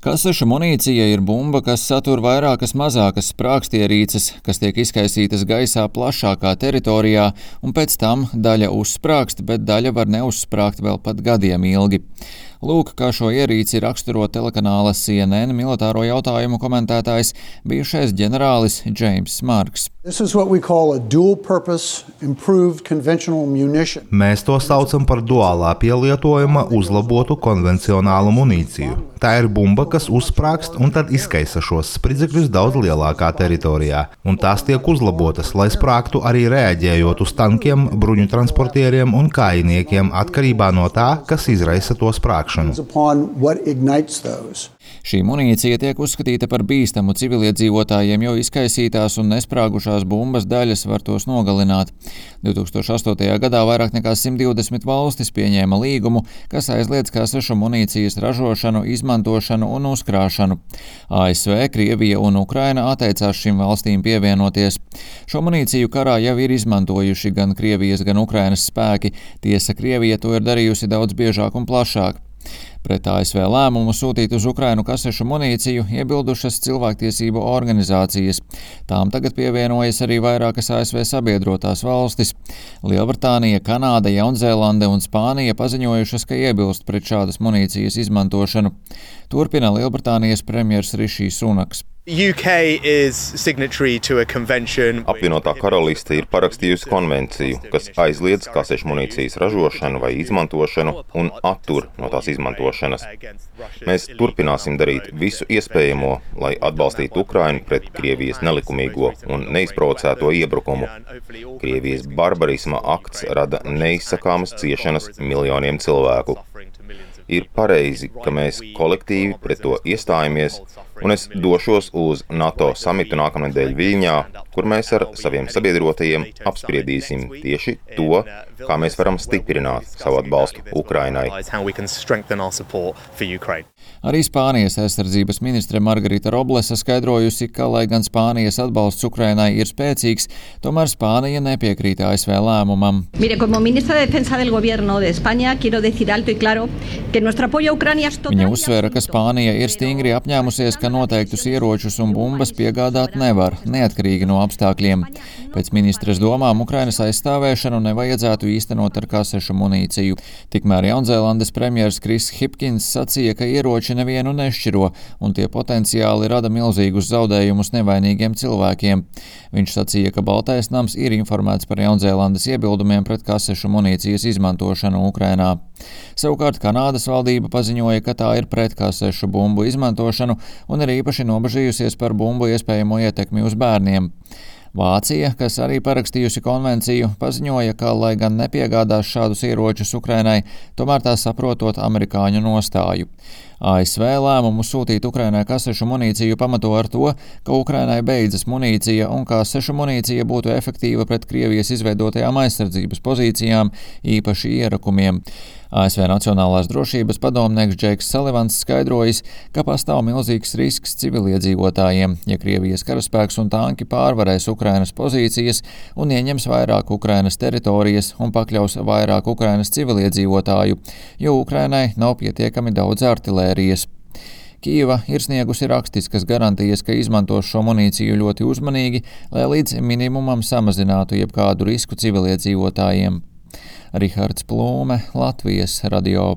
Kasešu munīcija ir bumba, kas satur vairākas mazākas sprākstierīces, kas tiek izkaisītas gaisā plašākā teritorijā, un pēc tam daļa uzsprāgst, bet daļa var neuzsprāgt vēl pat gadiem ilgi. Lūk, kā šo ierīci raksturo telekanāla CNN militāro jautājumu komentētājs, bijušais ģenerālis Džeims Marks. Mēs to saucam par duālā pielietojuma uzlabotu konvencionālu munīciju. Tā ir bumba, kas uzsprāgst un tad izkaisa šos spridzekļus daudz lielākā teritorijā, un tās tiek uzlabotas, lai sprāgtu arī reaģējot uz tankiem, bruņu transportieriem un kājiniekiem atkarībā no tā, kas izraisa to sprāgšanu. Šī munīcija tiek uzskatīta par bīstamu civiliedzīvotājiem, jo izkaisītās un nesprāgušās bumbas daļas var tos nogalināt. 2008. gadā vairāk nekā 120 valstis pieņēma līgumu, kas aizliedz kasešu munīcijas ražošanu, izmantošanu un uzkrāšanu. ASV, Krievija un Ukraina atteicās šīm valstīm pievienoties. Šo munīciju karā jau ir izmantojuši gan Krievijas, gan Ukrainas spēki. Tiesa, Krievija to ir darījusi daudz biežāk un plašāk. Pret ASV lēmumu sūtīt uz Ukrainu kasešu munīciju iebildušas cilvēktiesību organizācijas. Tām tagad pievienojas arī vairākas ASV sabiedrotās valstis. Lielbritānija, Kanāda, Jaunzēlande un Spānija paziņojušas, ka iebilst pret šādas munīcijas izmantošanu. Turpina Lielbritānijas premjers Rišijs Sunaks. Apvienotā karaliste ir parakstījusi konvenciju, kas aizliedz kasešu munīcijas ražošanu vai izmantošanu un attur no tās izmantošanas. Mēs turpināsim darīt visu iespējamo, lai atbalstītu Ukrainu pret Krievijas nelikumīgo un neizprovocēto iebrukumu. Krievijas barbarisma akts rada neizsakāmas ciešanas miljoniem cilvēku. Ir pareizi, ka mēs kolektīvi pret to iestājamies, un es došos uz NATO samitu nākamnedēļ Viļņā, kur mēs ar saviem sabiedrotajiem apspriedīsim tieši to, kā mēs varam stiprināt savu atbalstu Ukrainai. Arī Spānijas aizsardzības ministre Margarita Roblesa skaidrojusi, ka, lai gan Spānijas atbalsts Ukrainai ir spēcīgs, tomēr Spānija nepiekrīt ASV lēmumam. Viņa uzsvēra, ka Spānija ir stingri apņēmusies, ka noteiktus ieročus un bumbas piegādāt nevar, neatkarīgi no apstākļiem. Pēc ministres domām Ukrainas aizstāvēšanu nevajadzētu īstenot ar kasešu munīciju. Tikmēr Jaunzēlandes premjers Kris Hipkins sacīja, ka ieroči nevienu nešķiro, un tie potenciāli rada milzīgus zaudējumus nevainīgiem cilvēkiem. Viņš sacīja, ka Baltais nams ir informēts par Jaunzēlandes iebildumiem pret kasešu munīcijas izmantošanu Ukrainā. Savukārt Kanādas valdība paziņoja, ka tā ir pret kasešu bumbu izmantošanu un ir īpaši nobažījusies par bumbu iespējamo ietekmi uz bērniem. Vācija, kas arī parakstījusi konvenciju, paziņoja, ka, lai gan nepiegādās šādus ieročus Ukrainai, tomēr tā saprotot amerikāņu nostāju. ASV lēmumu sūtīt Ukrainai kasešu munīciju pamato ar to, ka Ukrainai beidzas munīcija un kasešu munīcija būtu efektīva pret Krievijas izveidotajām aizsardzības pozīcijām, īpaši ierakumiem. ASV Nacionālās drošības padomnieks Džeiks Salivans skaidrojis, ka pastāv milzīgs risks civiliedzīvotājiem, ja Krievijas karaspēks un tanki pārvarēs Ukrainas pozīcijas un ieņems vairāk Ukrainas teritorijas un pakļaus vairāk Ukrainas civiliedzīvotāju, jo Ukrainai nav pietiekami daudz artilērijas. Kijeva ir sniegusi rakstiskas garantijas, ka izmantos šo munīciju ļoti uzmanīgi, lai līdz minimumam samazinātu jebkādu risku civiliedzīvotājiem. Rihards Plūme, Latvijas radio.